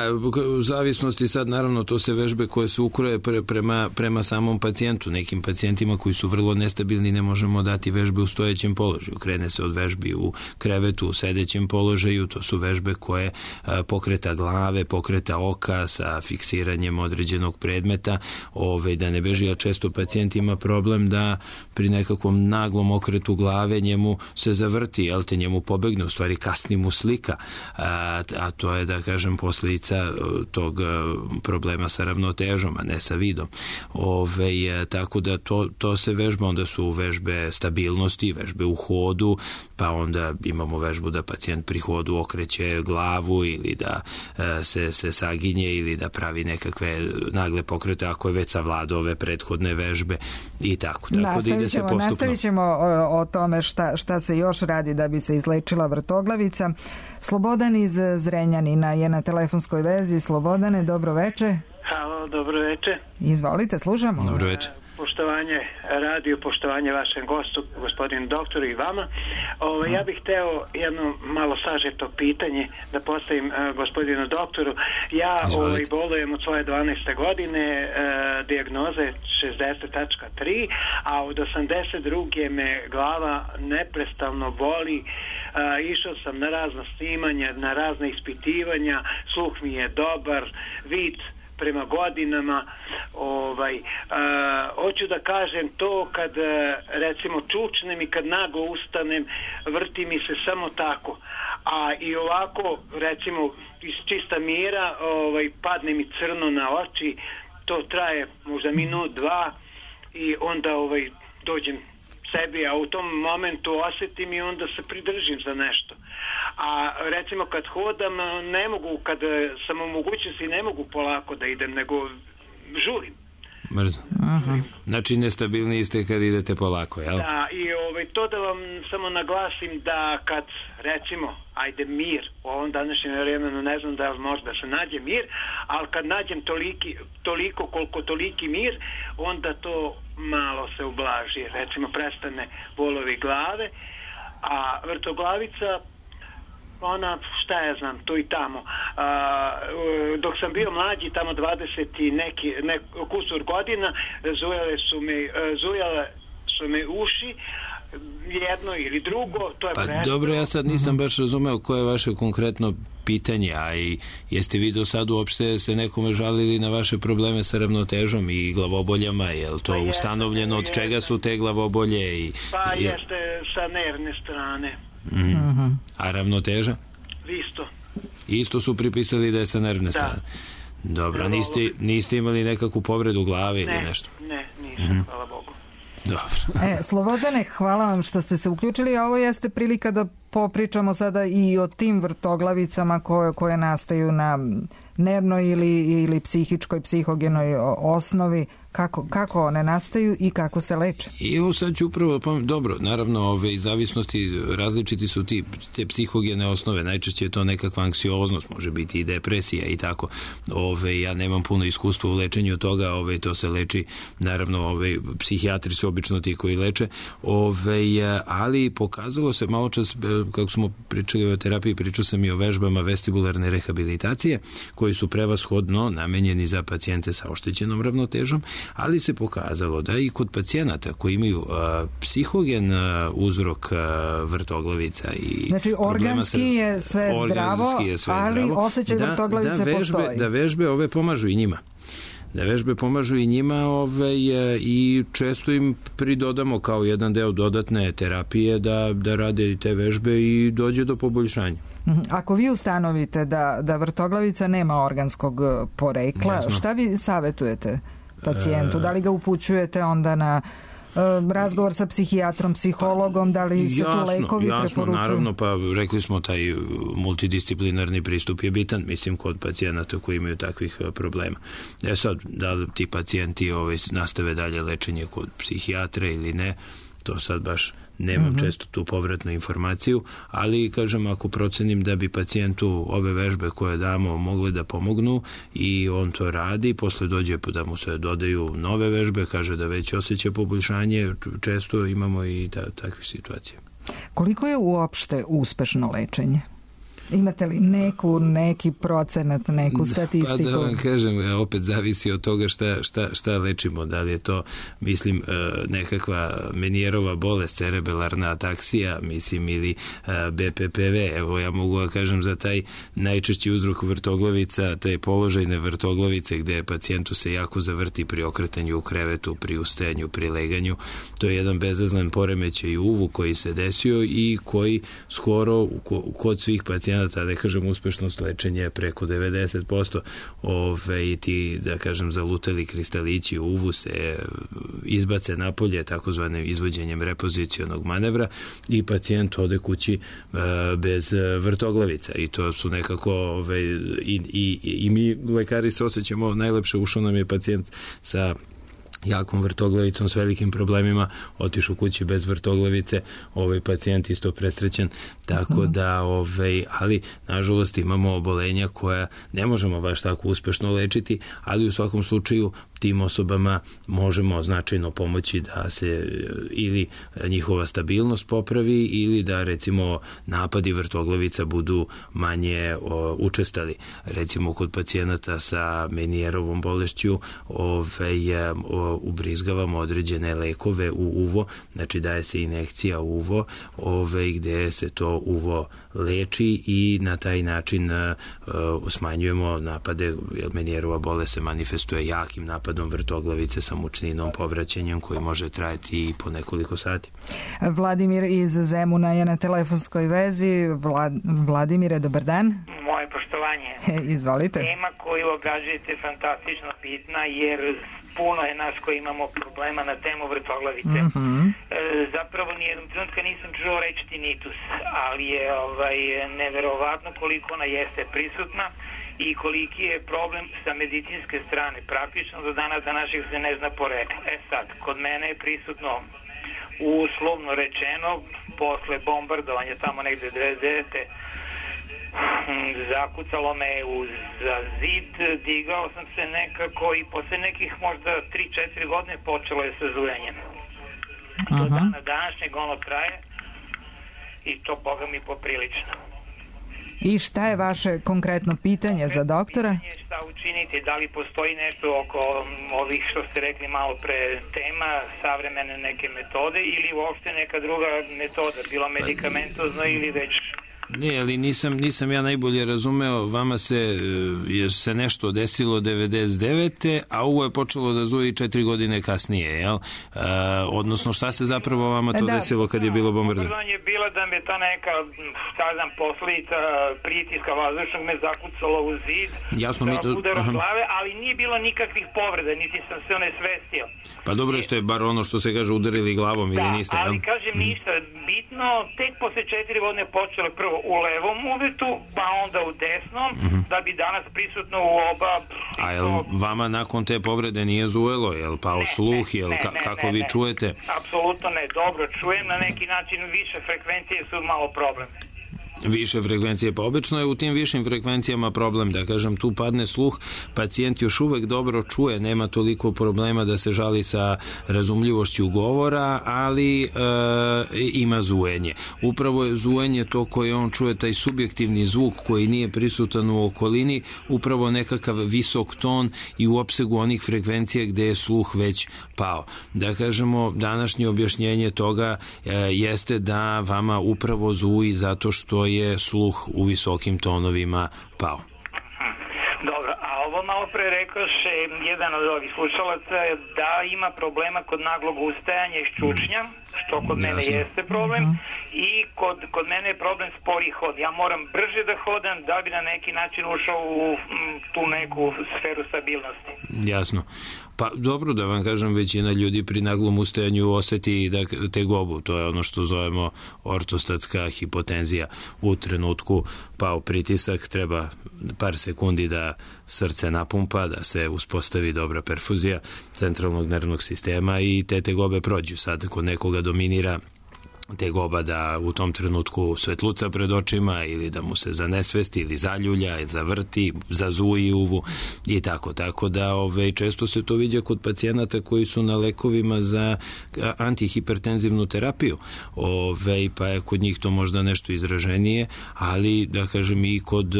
u zavisnosti sad naravno to se vežbe koje se ukroje pre, prema, prema samom pacijentu. Nekim pacijentima koji su vrlo nestabilni ne možemo dati vežbe u stojećem položaju. Krene se od vežbi u krevetu, u sedećem položaju. To su vežbe koje a, pokreta glave, pokreta oka sa fiksiranjem određenog predmeta. Ove, da ne beži, a često pacijent ima problem da pri nekakvom naglom okretu glave njemu se zavrti, jel te, njemu pobegne, u stvari kasni mu slika. A, a to je, da kažem, posljedica tog problema sa ravnotežom, a ne sa vidom. Ove, tako da to, to se vežba, onda su vežbe stabilnosti, vežbe u hodu, pa onda imamo vežbu da pacijent pri hodu okreće glavu ili da e, se, se saginje ili da pravi nekakve nagle pokrete ako je već savladao ove prethodne vežbe i tako. Tako da ide se postupno. Nastavit ćemo o, o tome šta, šta se još radi da bi se izlečila vrtoglavica. Slobodan iz Zrenjanina je na telefonskoj vezi. Slobodane, dobro veče. Halo, dobro veče. Izvolite, slušamo. Dobro veče. Poštovanje radio, poštovanje vašem gostu, gospodinu doktoru i vama. Ovo, ja bih hteo jedno malo sažeto pitanje da postavim uh, gospodinu doktoru. Ja ovaj, bolujem od svoje dvanaeste godine, uh, dijagnoze šezdeset tačka tri, a od osamdeset druge me glava neprestano boli. Uh, išao sam na razna snimanja, na razna ispitivanja, sluh mi je dobar, vid prema godinama, ovaj, uh, hoću da kažem to kad uh, recimo čučnem i kad naglo ustanem, vrti mi se samo tako, a i ovako recimo iz čista mira ovaj, padne mi crno na oči, to traje možda minut, dva i onda ovaj, dođem sebi, a u tom momentu osjetim i onda se pridržim za nešto. A recimo kad hodam ne mogu, kad sam u mogućnosti ne mogu polako da idem, nego žurim. Mrzno. Aha. Znači nestabilni ste kad idete polako, jel? Da, i ovaj, to da vam samo naglasim da kad recimo, ajde mir, u ovom današnjem vremenu ne znam da možda se nađe mir, ali kad nađem toliki, toliko koliko toliki mir, onda to malo se ublaži. Recimo prestane bolovi glave, a vrtoglavica ona, šta ja znam, tu i tamo. A, dok sam bio mlađi, tamo dvadeset i neki, nek, kusur godina, zujale su me, zujale su me uši, jedno ili drugo, to je pa prestano. Dobro, ja sad nisam baš razumeo koje je vaše konkretno pitanje, a i jeste vi do sad uopšte se nekome žalili na vaše probleme sa ravnotežom i glavoboljama, je li to pa ustanovljeno, od čega su te glavobolje? I, pa i... jeste sa nervne strane. Mm. Mm-hmm. A ravnoteža? Isto. Isto su pripisali da je sa nervne strane. Dobro, ja, niste, niste imali nekakvu povredu glave ne, ili nešto? Ne, nisam, mm-hmm. hvala Bogu. Dobro. E, Slobodane, hvala vam što ste se uključili, a ovo jeste prilika da popričamo sada i o tim vrtoglavicama koje, koje nastaju na nervnoj ili, ili psihičkoj, psihogenoj osnovi. Kako, kako one nastaju i kako se leče? I evo sad ću upravo, dobro, naravno, ove zavisnosti različiti su ti, te psihogene osnove, najčešće je to nekakva anksioznost, može biti i depresija i tako. Ove, ja nemam puno iskustva u lečenju toga, ove, to se leči, naravno, ove, psihijatri su obično ti koji leče, ove, ali pokazalo se malo čas, kako smo pričali o terapiji, pričao sam i o vežbama vestibularne rehabilitacije, koji su prevashodno namenjeni za pacijente sa oštećenom ravnotežom, ali se pokazalo da i kod pacijenata koji imaju a, psihogen a, uzrok a, vrtoglavica i znači organski je sve zdravo, je sve ali zdravo, osjećaj da, vrtoglavice da vežbe, postoji. Da vežbe ove pomažu i njima. Da vežbe pomažu i njima ove, i često im pridodamo kao jedan deo dodatne terapije da, da rade te vežbe i dođe do poboljšanja. Ako vi ustanovite da, da vrtoglavica nema organskog porekla, Jasno. Šta vi savjetujete pacijentu? Da li ga upućujete onda na uh, razgovor sa psihijatrom, psihologom, da li se jasno, tu lekovi jasno, preporučuju? Naravno, pa rekli smo taj multidisciplinarni pristup je bitan, mislim, kod pacijenata koji imaju takvih problema. E sad, da li ti pacijenti ovaj, nastave dalje lečenje kod psihijatra ili ne, to sad baš nemam mm-hmm. često tu povratnu informaciju, ali kažem, ako procenim da bi pacijentu ove vežbe koje damo mogle da pomognu i on to radi, posle dođe da mu se dodaju nove vežbe, kaže da već osjeća poboljšanje, često imamo i ta, takve situacije. Koliko je uopšte uspešno lečenje? Imate li neku, neki procenat, neku statistiku? Pa da vam kažem, opet zavisi od toga šta, šta, šta lečimo. Da li je to, mislim, nekakva Menierova bolest, cerebelarna ataksija, mislim, ili be pe pe ve. Evo, ja mogu da kažem za taj najčešći uzrok vrtoglavica, taj položajne vrtoglavice gde pacijentu se jako zavrti pri okretanju u krevetu, pri ustajanju, pri leganju. To je jedan bezazlen poremećaj uvu koji se desio i koji skoro kod svih pacijenata, da kažem, uspešnost lečenja je preko devedeset posto. Ove, i ti, da kažem, zalutali kristalići u uvu se izbace napolje takozvanim izvođenjem repozicionog manevra i pacijent ode kući e, bez vrtoglavica. I to su nekako ove, i, i, i mi lekari se osjećamo najlepše. Ušao nam je pacijent sa jakom vrtoglavicom s velikim problemima, otišu kući bez vrtoglavice, ovaj pacijent isto presrećen, tako da, ovaj, ali nažalost imamo obolenja koja ne možemo baš tako uspešno lečiti, ali u svakom slučaju tim osobama možemo značajno pomoći da se ili njihova stabilnost popravi ili da recimo napadi vrtoglavica budu manje o, učestali. Recimo kod pacijenata sa Menierovom bolešću ovaj, o, ubrizgavamo određene lekove u uvo, znači daje se injekcija u uvo ovaj, gde se to uvo leči i na taj način uh, smanjujemo napade, jer Menierova bolest se manifestuje jakim napadom vrtoglavice sa mučninom, povraćanjem koji može trajati i po nekoliko sati. Vladimir iz Zemuna je na telefonskoj vezi. Vlad, Vladimire, dobar dan. Moje poštovanje. Izvolite. Tema koju obrađujete je fantastično bitna, jer puno je nas koji imamo problema na temu vrtoglavice. Mm-hmm. E, zapravo nijednom trenutka nisam čuo reći tinnitus, ali je ovaj, neverovatno koliko ona jeste prisutna i koliki je problem sa medicinske strane. Praktično do dana današnjeg se ne zna porekla. E sad, kod mene je prisutno uslovno rečeno posle bombardovanja tamo negde devedeset devete zakucalo me uz za zid, digao sam se nekako i posle nekih možda tri četiri godine počelo je sa zujanjem. Do dana današnjeg ono traje i to boga mi poprilično. I šta je vaše konkretno pitanje za doktora? Pitanje šta učiniti, da li postoji nešto oko ovih što ste rekli malo pre tema, savremene neke metode ili uopšte neka druga metoda, bilo medikamentozno ili već Ne, ali nisam, nisam ja najbolje razumeo, vama se, je se nešto desilo devedeset devete a ovo je počelo da zuje četiri godine kasnije, jel? Uh, odnosno, šta se zapravo vama to da, desilo kad je bilo bombardovanje? Bombardovanje je bilo da me ta neka, kažem, posledica pritiska vazdušnog me zakucalo u zid, jasno, da mi to... udarom glave, ali nije bilo nikakvih povreda, niti sam se onesvestio. Pa dobro je, ste bar ono što se kaže udarili glavom da, ili niste, ali jel? kažem ništa, bitno, tek posle četiri godine počelo prvo u levom uvetu, pa onda u desnom, mm-hmm. da bi danas prisutno u oba... A jel vama nakon te povrede nije zujelo, jel pao ne, sluh, jel ne, ka, ne, kako ne, vi ne. čujete? Apsolutno ne, dobro čujem, na neki način više frekvencije su malo problem. Više frekvencije, pa obično je u tim višim frekvencijama problem, da kažem, tu padne sluh, pacijent još uvek dobro čuje, nema toliko problema da se žali sa razumljivošću govora, ali e, ima zujenje. Upravo je zujenje to koje on čuje, taj subjektivni zvuk koji nije prisutan u okolini, upravo nekakav visok ton i u opsegu onih frekvencija gde je sluh već pao. Da kažemo, današnje objašnjenje toga e, jeste da vama upravo zuji zato što je sluh u visokim tonovima pao. Dobro, a ovo malo pre rekoše jedan od ovih slušalaca da ima problema kod naglog ustajanja i ščučnja, što kod mene Jasno. Jeste problem, i kod, kod mene je problem spori hod. Ja moram brže da hodam da bi na neki način ušao u m, tu neku sferu stabilnosti. Jasno. Pa dobro, da vam kažem, većina ljudi pri naglom ustajanju oseti da tegobu, to je ono što zovemo ortostatska hipotenzija. U trenutku pao pritisak, treba par sekundi da srce napumpa, da se uspostavi dobra perfuzija centralnog nervnog sistema i te tegobe prođu. Sad, kod nekoga dominira tegoba da u tom trenutku svetluca pred očima ili da mu se zanesvesti ili zaljulja, ili zavrti, zazuji uvu i tako. Tako da ove, često se to viđa kod pacijenata koji su na lekovima za antihipertenzivnu terapiju. Ove, pa je kod njih to možda nešto izraženije, ali da kažem i kod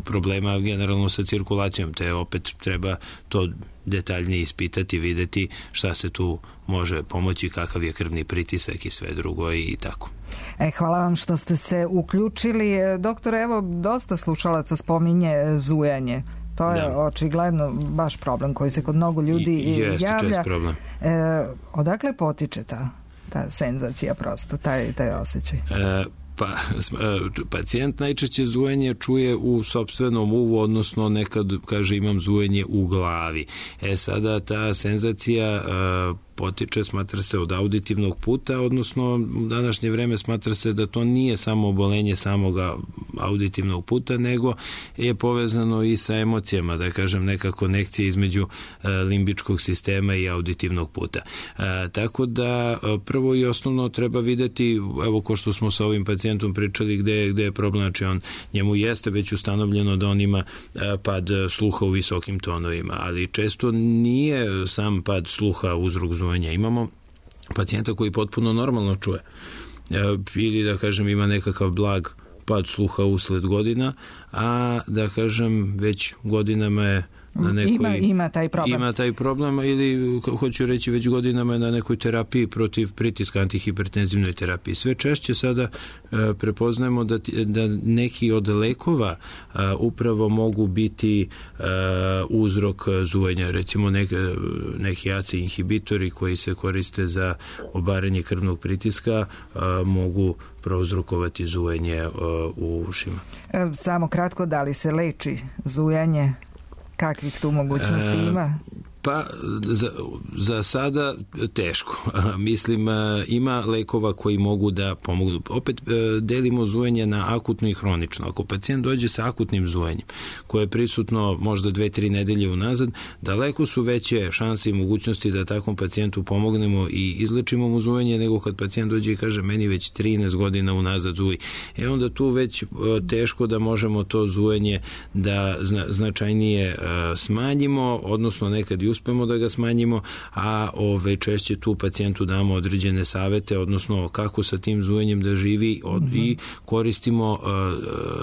problema generalno sa cirkulacijom, te opet treba to detaljnije ispitati, videti šta se tu može pomoći, kakav je krvni pritisak i sve drugo i tako. E, hvala vam što ste se uključili. Doktor, evo, dosta slušalaca spominje zujanje. To je da. Očigledno baš problem koji se kod mnogo ljudi I, jeste javlja. Čest problem. E, odakle potiče ta, ta senzacija prosto, taj, taj osjećaj? E, Pa, pacijent najčešće zujenje čuje u sopstvenom uvu, odnosno nekad kaže imam zujenje u glavi. E sada ta senzacija potiče, smatra se od auditivnog puta, odnosno u današnje vreme smatra se da to nije samo obolenje samog auditivnog puta, nego je povezano i sa emocijama, da kažem neka konekcija između limbičkog sistema i auditivnog puta. E, tako da prvo i osnovno treba videti, evo ko što smo sa ovim pacijentom pričali gde, gde je problem, znači on, njemu jeste već ustanovljeno da on ima pad sluha u visokim tonovima, ali često nije sam pad sluha uzrok zujenja. Imamo pacijenta koji potpuno normalno čuje ili da kažem ima nekakav blag pad sluha usled godina, a da kažem već godinama je na nekoj, ima, ima taj problem. Ima taj problem ili hoću reći već godinama je na nekoj terapiji protiv pritiska, antihipertenzivnoj terapiji. Sve češće sada e, prepoznajemo da, da neki od lekova e, upravo mogu biti e, uzrok zujenja. Recimo nek, neki A C E inhibitori koji se koriste za obaranje krvnog pritiska e, mogu prouzrokovati zujenje e, u ušima. E, samo kratko, da li se leči zujanje? Kakvih tu mogućnosti ima? Pa za, za sada teško. Mislim, ima lekova koji mogu da pomogu. Opet delimo zujenje na akutno i hronično. Ako pacijent dođe sa akutnim zujenjem, koje je prisutno možda dve, tri nedelje unazad, daleko su veće šanse i mogućnosti da takvom pacijentu pomognemo i izlečimo mu zujenje, nego kad pacijent dođe i kaže meni već trinaest godina unazad zuji. E onda tu već teško da možemo to zujenje da zna, značajnije smanjimo, odnosno nekad i uspemo da ga smanjimo, a ove, češće tu pacijentu damo određene savete, odnosno kako sa tim zujenjem da živi od, mm-hmm. i koristimo uh,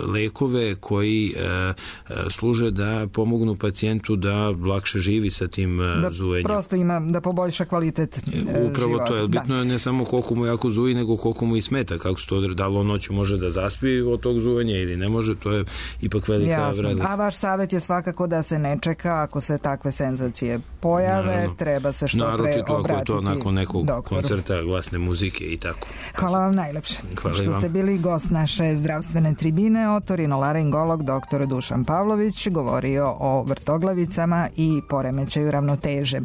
lekove koji uh, služe da pomognu pacijentu da lakše živi sa tim uh, da zujenjem. Prosto ima da poboljša kvalitet uh, Upravo života. to je, bitno je ne samo koliko mu jako zuji, nego koliko mu i smeta, kako se to, da li on noću može da zaspi od tog zujenja ili ne može, to je ipak velika razlika. A vaš savjet je svakako da se ne čeka, ako se takve senzacije pojave, naravno, treba se što naravno, pre obratiti ako je to nakon nekog doktoru. Koncerta, glasne muzike i tako. Hvala vam najlepše. Hvala što vam. Ste bili gost naše zdravstvene tribine, otorinolaringolog doktor Dušan Pavlović govorio o vrtoglavicama i poremećaju ravnoteže.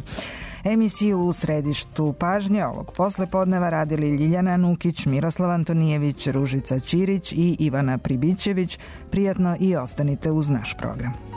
Emisiju U središtu pažnje ovog poslepodneva radili Ljiljana Nukić, Miroslav Antonijević, Ružica Ćirić i Ivana Pribićević. Prijatno i ostanite uz naš program.